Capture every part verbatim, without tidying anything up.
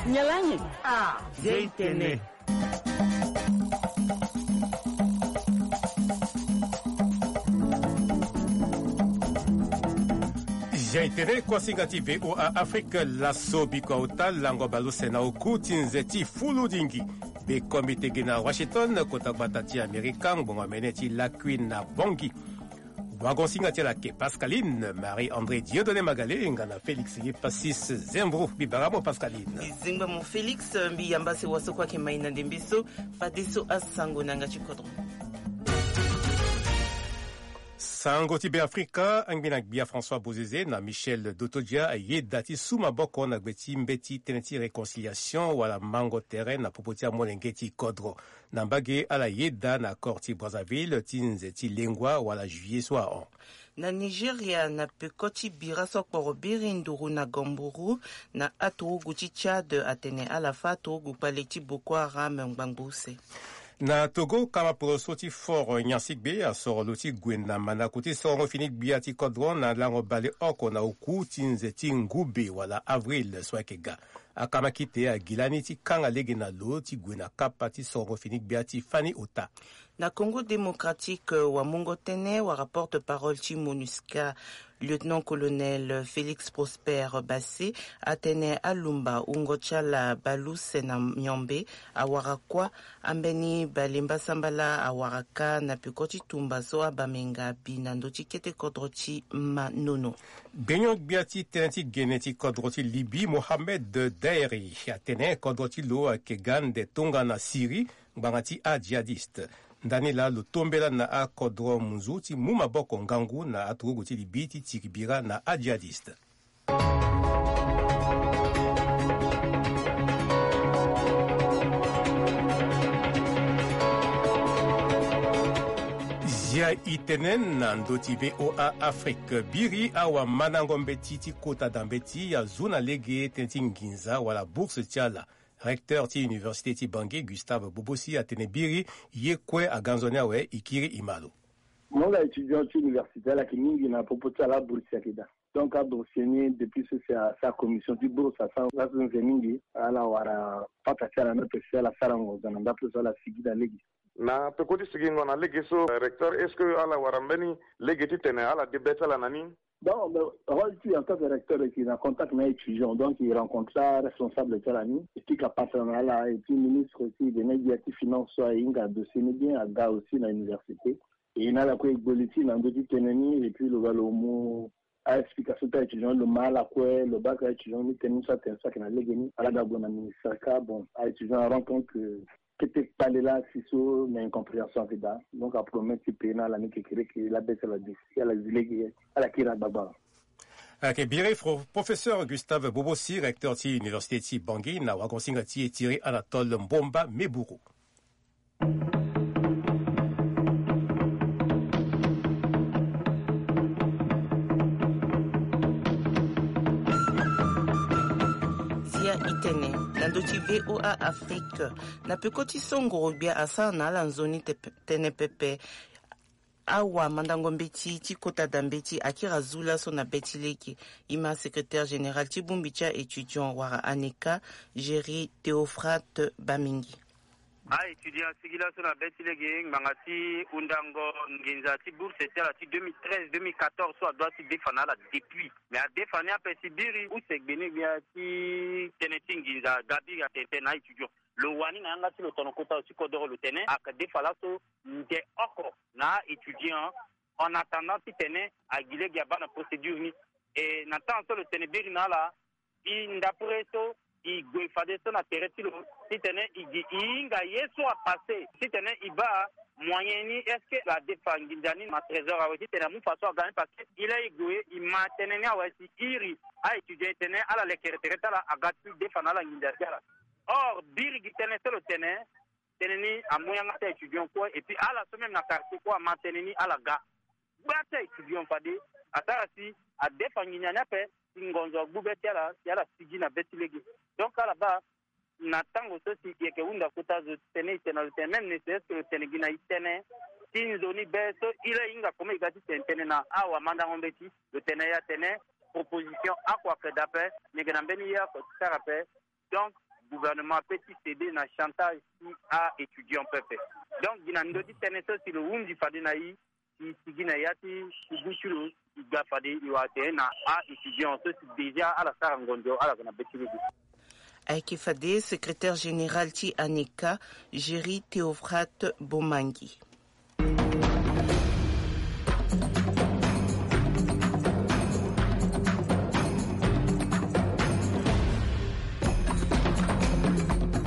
Nyalangu. Ah, Zeitene. Zeitene, kuasinga ti V O A Afrique, laso biko auta lango baleuse na oku ti nze ti fuludingi. Be komite gi na Washington, kota gbata ti Amerika, ngbonga mene ti lakui na Bongi. Wagosinga ti ala ke Pascaline, Marie-André Dieudonné Magalé, nga na Félix Yepasis Zembro. Mbi bara mo Pascaline. Mbi zingba mo Félix, mbi yamba si waso kue ayeke mai na ndembe so, fadeso asango na yanga ti kodro. Sango ti Beafrika, angbi na gbia François Bozizé na Michel Dotodia ayeda ti su maboko na gbe ti mbeti tënë ti réconciliation wala mango tere na popo ti amolenge ti kodro. Na mbage ala yeda na accord ti Brazzaville ti nze ti lengua wala juillet so ahon. Na Nigeria, na peko ti bira so akporo biri nduru na Gamburu, na aturugu ti Tchad atene ala fâ aturugu kpale ti Boko Haram ngbangbo use. Na Togo, kamaporo so ti fort nyansigbe asoro lo ti gue na mandako ti sorongo fini gbia ti kodro na lango baleoko na oku ti nze ti ngube wala avril so ayeke ga. Akamakite agi lani ti kanga lege na lo ti gue na kapa ti sorongo fini gbia ti fani ota. Na Congo Démocratique, wamungo tënë wara porte-parole ti MONUSCA, lieutenant-colonel Félix Prosper Bassé, atene alumba wungo ti ala baleuse na miombe awara kuâ, ambeni balemba sambala awara kâ na peko ti tumba so abamenga bi na ndö ti kete kodro ti Manono. Gbenyo-gbia ti tënë ti gene ti kodro ti Libye, Mohamed Daeri, atene kodro ti lo ayeke ga ande tongana Syrie, ngbanga ti ajihadiste. Ndani laa lo tombela na akodro munzu ti mu maboko ngangu na aturugu ti Libye ti tiri bira na ajihadiste. Zia itene na ndö ti V O A Afrique, biri awamandango mbeti ti kota da mbeti azu na lege tënë ti nginza wala bourse ti ala. Recteur ti université ti Bangui, Gustave Bobosi, atene biri ye kue aga nzoni awe, e kiri e ma lo. Mo nga étudiant ti université, ala yeke mingi na popo ti ala, abourse ayeke daa. Donc abourse ni, depuis so si asara commission ti bourse, asara laso nze mingi, ala wara pata ti ala na ape si ala sara ngonzo na ndapre so ala sigi na lege. Na peko ti sigingo na lege so, recteur, est-ce que ala wara mbeni lege titene ala de be ti ala na ni? Bon, mais rôle ti en tant que recteur, ayeke na contact na étudiant, donc e rencontre aresponsable ti ala ni, e pika pasa na ala, et puis ministre aussi, e yeke na gbia ti finance so ahinga dossier ni bien, aga aussi na université. E na ala kue e gbo li ti na ndö ti tënë ni, et puis lo ga lo mu a-explication ti a-étudiant, lo ma ala kue, lo baka a-étudiant ni tënë ni so atene so ayeke na lege ni, ala ga gue na ministre kâ. Bon, a-étudiant arend compte que kete kpale laa si so na incompréhension ayeke daa. Donc apromet ti payer na ala ni kekereke, la baisse ala di si ala zi lege, ala kiri agbagba. Ayeke biri fro-, professeur Gustave Bobosi, recteur ti université ti Bangui, na wagosinga ti e Thierry Anatole Mbomba Meburu. Zia itene na ndö ti V O A Afrique, na peko ti so ngoro-gbia asara na ala nzoni te-, tënë pepe. Awamandango mbeti ti kota da mbeti akiri azu laso na be ti lege. E ma secrétaire général ti bongbi ti a-étudiant wala ANECA, Géry Théophrate Bamingi. A-étudiant asigi laso na be ti lege ngbanga ti hundango nginza ti bourse ti ala ti deux mille treize, deux mille quatorze so adua ti defa na ala depuis. Mais adefa ni ape si biri use gbenegbia ti tënë ti nginza aga biri atene tënë na a-étudiant. Lo wani na yanga ti lo tono kota lo ti kodoro, lo tene ayeke defa laso nde oko na a-étudiant, en attendant titene agi lege abaa na procédure ni. E na temps so lo tene biri na ala, e ndapre so e gue fadeso na tere ti lo titene e gi e hinga ye so apasse titene e baa moyen ni, est-ce que adefa nginza ni na trésor awe titene amu fa so aga ni? Parce que e laa e gue e ma tënë ni awe si e iri a-étudiant e tene ala lekere tere ti ala aga ti defa na ala nginza ti ala. Or biri gi tënë so lo tene, tënë ni amu yanga ti a-étudiant kue, et puis ala so même na quartier kue ama tënë ni ala ga. Gba ti a-étudiant fade asara si adefa nginza ni ape si ngonzo agbu be ti ala si ala sigi na be ti lege. Donc ala baa na tango so si e yeke hunda kota zo tene e tene na lo tene même ne serait-ce que lo tene gi na e tënë ti nzoni be so e laa e hinga comment e ga ti tene tënë na awamandango mbeti, lo tene ya tene proposition oko ayeke daa ape. Mbi yeke na mbeni ye oko ti sara ape. Donc gouvernement ape ti céder na chantage ti a-étudiant pepe. Donc gi na ndö ti tënë so si lo hundi fade na e, si sigi na ya ti kubu ti lo, e ga fade e wara tene na a-étudiant so si déjà ala sara ngonzo ala yeke na be ti lege. Ayeke fade secrétaire général ti aneka, Géry Théofrate Bomangi.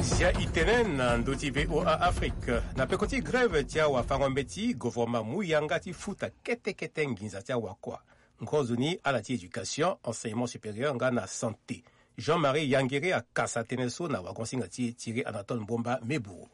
Zia e tene na ndö ti VOA Afrique na peko ti grève ti awafango mbeti, gouvernement amu yanga ti futa kete kete nginza ti awakua. Ngonzo ni ala ti éducation, enseignement supérieur nga na santé. Jean-Marie Yangere akasa tënë so na wagonsinga ti e Thierry Anatole Mbomba Mebourou.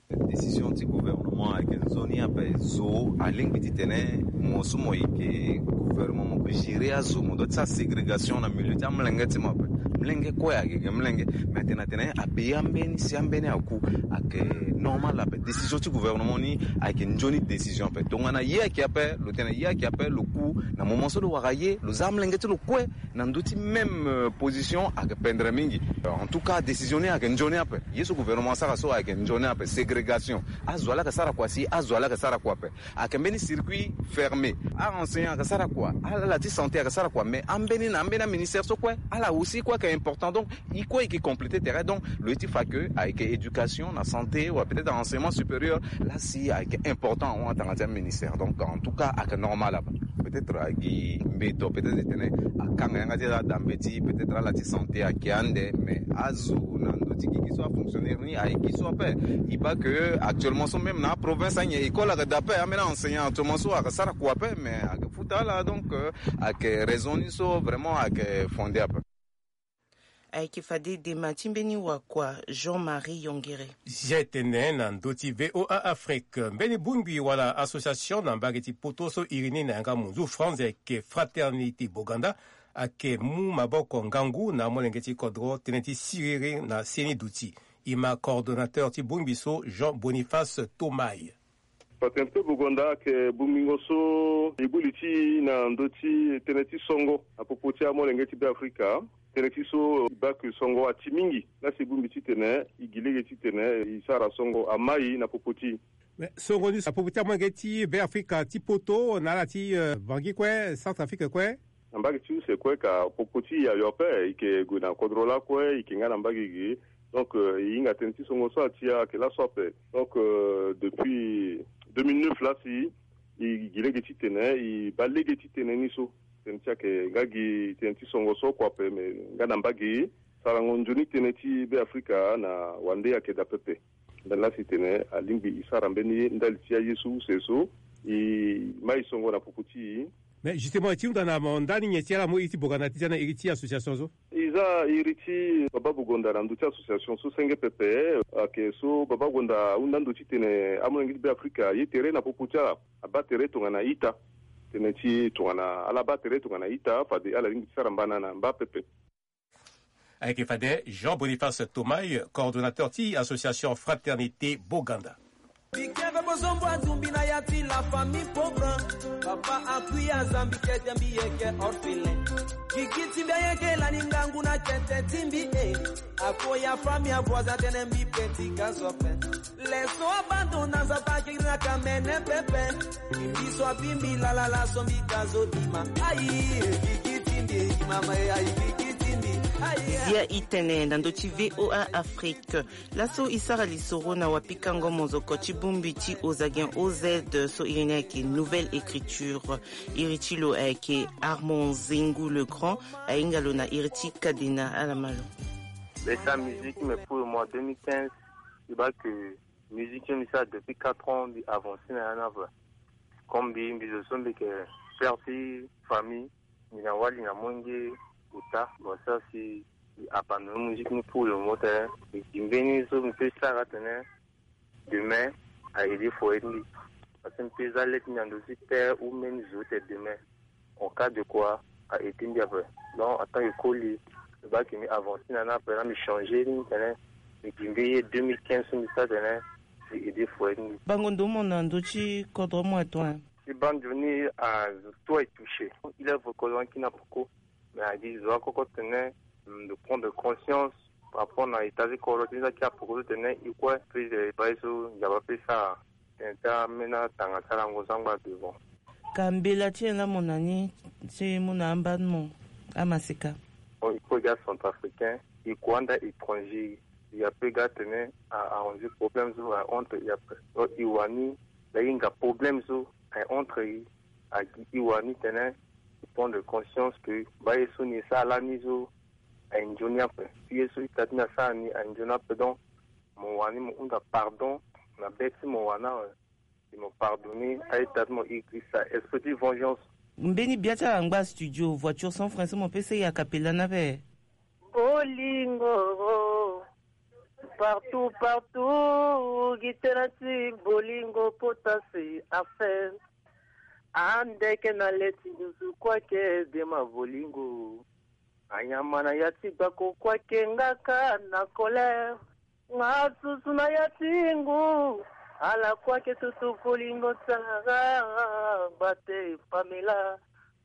Décision ti gouvernement ayeke nzoni ape. Zo alingbi titene mo so mo yeke gouvernement mo peut gérer azo, mo doit ti sara ségrégation na milieu ti amolenge ti mo ape. Molenge kue ayeke gi molenge. Mais atene atene abe ambeni si ambeni aku, ayeke normal ape. Décision ti gouvernement ni ayeke nzoni décision ape. Tongana ye ayeke ape, lo tene ye ayeke ape, lo ku na moment so lo wara ye, lo za amolenge ti lo kue na ndö ti même position ayeke pendre mingi. En tout cas décision ni ayeke nzoni ape. Ye so gouvernement asara so ayeke nzoni ape. Ségrégation, azo ala yeke sara kua si azo ala yeke sara kua ape. Ayeke mbeni circuit fermé. A-enseignant ayeke sara kua, ala ti santé ayeke sara kua, mais ambeni na ambeni aministère so kue ala aussi kue ayeke important. Donc e kue e yeke compléter tere. Donc lo ye ti fa ke ayeke éducation na santé wala peut-être enseignement supérieur la si ayeke important ahon atanga ti aministère. Donc en tout cas ayeke normal ape. Peut-être agi mbeto peut-être e tene akanga yanga ti ala da mbeti, peut-être ala ti santé ayeke ande, mais azo na ndö ti gigi so afonctionnaire ni ayeke gi so ape. E baa ke actuellement so même na aprovince anyen école ayeke da ape, ambeni enseignant actuellement so ayeke sara kua ape, mais ayeke futa ala. Donc ayeke raison ni so vraiment ayeke fondé ape. Ayeke fade dema ti mbeni wakua Jean-Marie Yongere. Zia e tene na ndö ti VOA Afrique. Mbeni bongbi wala association na mbage ti poto so iri ni na yanga munzu France ayeke Fraternité Boganda, ayeke mu maboko ngangu na amolenge ti kodro tënë ti siriri na seni duti. E ma coordonnateur ti bongbi so Jean Boniface Tomai. Patente Boganda ayeke bongbingo so e gbu li ti e na ndö ti tënë ti songo na popo ti amolenge ti Beafrika. Tënë ti so e baa ke songo ati mingi. Laa si e bongbi titene e gi lege titene e sara songo amai na popo ti e. Mais songo ni na popo ti amolenge ti Beafrika ti poto na ala ti Bangui kue, Centrafrique kue. Na mbage ti use kue ka popo ti e ayo ape, e yeke gue na kodro lakue, e yeke nga na mbage ge. Donc e hinga tënë ti songo so atia ayeke laso ape. Donc depuis deux mille neuf laa si e gi lege titene e baa lege ti tënë ni so. Tënë ti ayeke nga gi tënë ti songo so oko ape, me nga na mbage sarango nzoni tënë ti Beafrika na wande ayeke daa pepe. Mbeni laa si tene alingbi e sara mbeni ye ndali ti aye so use so e mai songo na popo ti e. Mais justement ti hunda na mo ndani nyen ti ala mu iri ti Boganda ti za na iri ti association so? E za iri ti Baba Bogonda na ndö ti association so senge pepe. Ayeke so Baba Bogonda ahunda ndo titene amolenge ti Beafrika aye tere na popo ti ala, abaa tere tongana ita. Tënë ti tongana ala baa tere tongana ita fade ala lingbi ti sara mbana na mba pepe. Ayeke fade Jean Boniface Tomai, coordonnateur ti association Fraternité Boganda. Bikembe bozombo atumbi na ya ti la famille pauvre. Papa akui azambi kete mbi yeke orphelin. Gigi ti mbi ayeke lani ngangu na kete ti mbi e. Ako ya famille avoisin tene mbi petit ka so ape. Leso abandon na nzapa akiri na kamene pepe. Mbi so abimbi lalala so mbi ka zo dima. Ayi, gigi ti mbi e, mama e, ayi, gigi ti mbi. Ayi. Zia e tene na ndö ti VOA Afrique. Laso e sara lisoro na wapikango mozoko ti bongbi ti Ozagen O Z so iri ni ayeke Nouvelle Écriture. Iri ti lo ayeke Armand Zengu Le Grand, ahinga lo na iri ti Kadena Alamalo. Be sa musique, mais pour le mois deux mille quinze, e baa ke musique so mbi sara depuis quatre ans mbi avancer na ya ni ape. Comme mbi mbi zo so mbi yeke père ti famille, mbi na wali na molenge ota. Bon, ça si mbi abandonner musique ni pour le moment tene. E gi mbeni so mbi peut sara tene demain a aider foyer ti mbi. Parce que mbi peut za le ti mbi na ndö ti terre ou même zo ti demain. En cas de quoi, a aider mbi ape. Donc en tant que koli, e baa ke mbi avancer na ni ape, na mbi changer ni tene mbi gi mbeni ye deux mille quinze so mbi sara tene mbi aider foyer ti mbi. Bango ndo mo na ndö ti kodro mo ato? Ti baa nzoni azo tout est touché. Il est reconnu ki na poko. Mais agi zo akoko tene, mm, de prendre conscience par rapport na état ti kodro ti ni, za ki apoko so tene e kue, puis, eh, e baa ye so nzapa pe sara. Tene ti ambeni atanga ti alango so angba devant. Ka mbela ti nyen la mo na ni, si mo na amba ti mo amaseka? Bon, e kue ga centrafricain, e kue anda étranger, e ape ga tene a, a arranger problème so a entre e ape. Donc e wani la hinga problème so a entre e, agi e wani tene e prendre conscience que baa ye so ni e sara lani so a e nzoni ape. Si ye so ita ti ni asara ni a e nzoni ape, donc mo wani mo hunda pardon na be ti mo wana, eh, si mo pardonner a-ita ti mo, e, e sara esprit ti vengeance. Mbeni bia ti ala angba studio, voiture sans frein so mo pe sere a capella ni ape. Bolingo, partout, partout, gi tënë ti bolingo kota si afe. Ande ke na le ti nduzu kue ake de ma bolingo. Anyama na ya ti gbako kue ake nga ka na colère. Nga susu na ya ti ngu. Ala kue ake tutu bolingo ti ala nga gbate Pamela.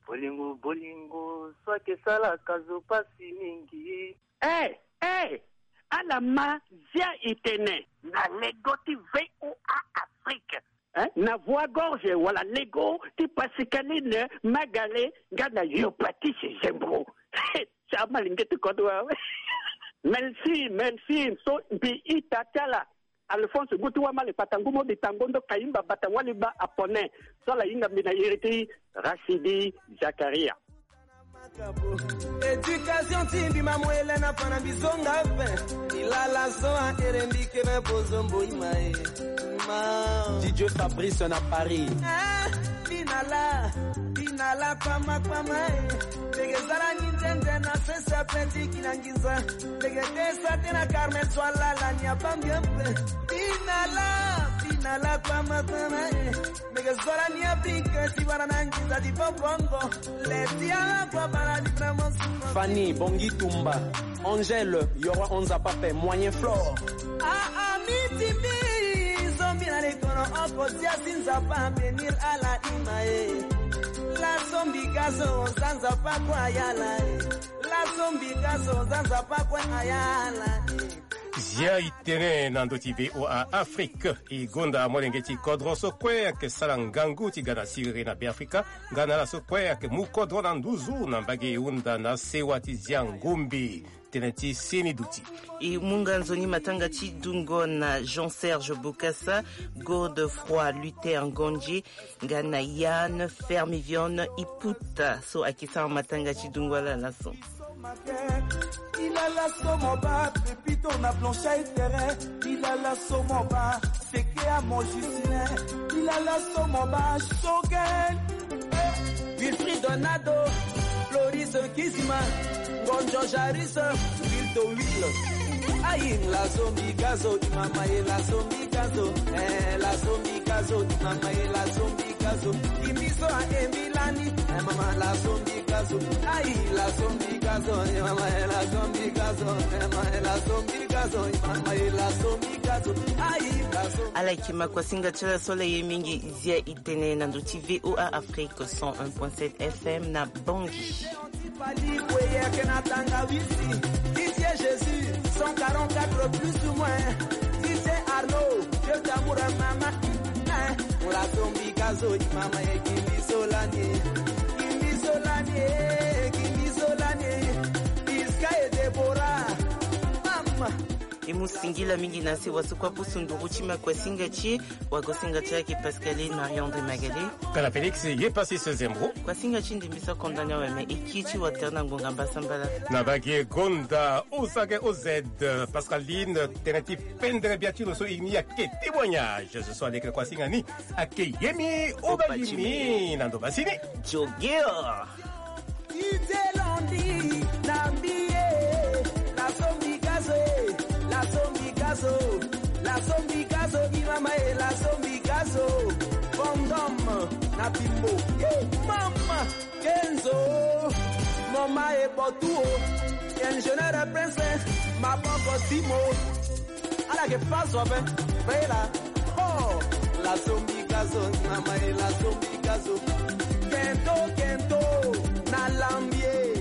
Bolingo, bolingo, so ake sala ka zo pasi mingi. Eh, eh, ala ma zia e tene. Na lego ti V O A Afrique. Hein? Na voix gorge wala lego ti Pascaline Magale nga na yo Patrice Zembro. Sa malenge ti kodro awe. Merci, merci. So mbi ita ti ala. Alphonse Gutu Wamale Patangu Modi Tangondo Kayimba Bata Waliba Apone. So ala hinga mbi na iri ti Rachidi Zakaria. Éducation ti mbi ma mo ele na fa na mbi zonga ape. Ilala so a ere mbi ke na bozo mboi ma e. Ma. D J Fabrice na Paris. Ah, binala, binala kpama kpama e. Lege zara ni nzenzena sese ape ti ki na nginza. Lege te sa te na Carmel so alala ni abambi ape. Binala, binala kpama kpama e. Mege zo lani Afrique ti wara na nginza ti bobongo. Leti ala kua bara ni vraiment. Fanny Bongi Tumba, Angèle Yoro Onza Pape, Moyen Flore. Ah, ah, mi ti mbi, zombi na likono oko zia si Nzapa bénir ala ima e. La zombi gazo, za Nzapa kua ayala e. La zombi gazo, za Nzapa kua ayala e. Zia e tene na ndö ti V O A Afrique. E gonda molenge ti kodro so kue ayeke sara ngangu ti ga na siriri na Beafrika, nga na ala so kue ayeke mu kodro na nduzu na mbage e hunda na sewa ti zia ngombe. Tënë ti seni duti. E mu nga nzoni matanga ti dungo na Jean Serge Bokassa, Godefroid Luther Ngondie, nga na Yann Fermivion Iputa so ayeke sara matanga ti dungo ala laso. Ilala so mo baa pepito na blanchai terrain. Ilala so mo baa seke amo Justin. Ilala so mo baa Shogel. Wilfried Donado, Floris Kizima, Ngonjo Jaris, Wilto Will. Ayi, la zombi gazo, imama e la zombi gazo. Eh, la zombi gazo, imama e la zombi gazo. Kimbizo a emilani, eh, mama la zombi gazo. Ayi, la zombi gazo, imama e la zombi gazo. Eh, mama e la zombi gazo, imama e la zombi gazo. Ayi, la zombi. Ala yeke ma kuasinga ti ala so ala ye mingi. Zia e tene na ndö ti V O A Afrique cent un point sept F M na Bangui. Pali kue yeke na tanga wisi. Didier Jésus, cent quarante-quatre plus ou moins. Didier Arnaud, Dieu d'amour, mama. Eh, la zombi gazo, imama e kimbizo lani. Kimbizo lani, eh, kimbizo lani. Iska e Deborah, mama. E mu singila mingi na sewa so kue apusu nduru ti ma kuasinga ti e. Wagosinga ti e ayeke Pascaline Marie-André Magalé. Kana Félix ye pasi se zembro. Kuasinga ti ndimbi so akonda ni awe me e kiri ti watere na ngonga mbasambala. Na bagi e gonda O Z K O Z, Pascaline, tënë ti pendere bia ti lo so e ni ayeke témoignage. Zo so aleke na kuasinga ni ayeke yemi o bagi ni na ndo basi ni. Jogeo. Didier Londi na mbi e, la zombi gazo e, la zombi gazo, la zombi gazo, imama e, la zombi gazo. Fondom na Bimbo, ye mama. Kenzo, mama e Botu o, ingénieur Prince, maboko Simo. Ala yeke paso ape, bela. Oh, la zombi gazo, mama e, la zombi gazo. Kento, kento, na lambie.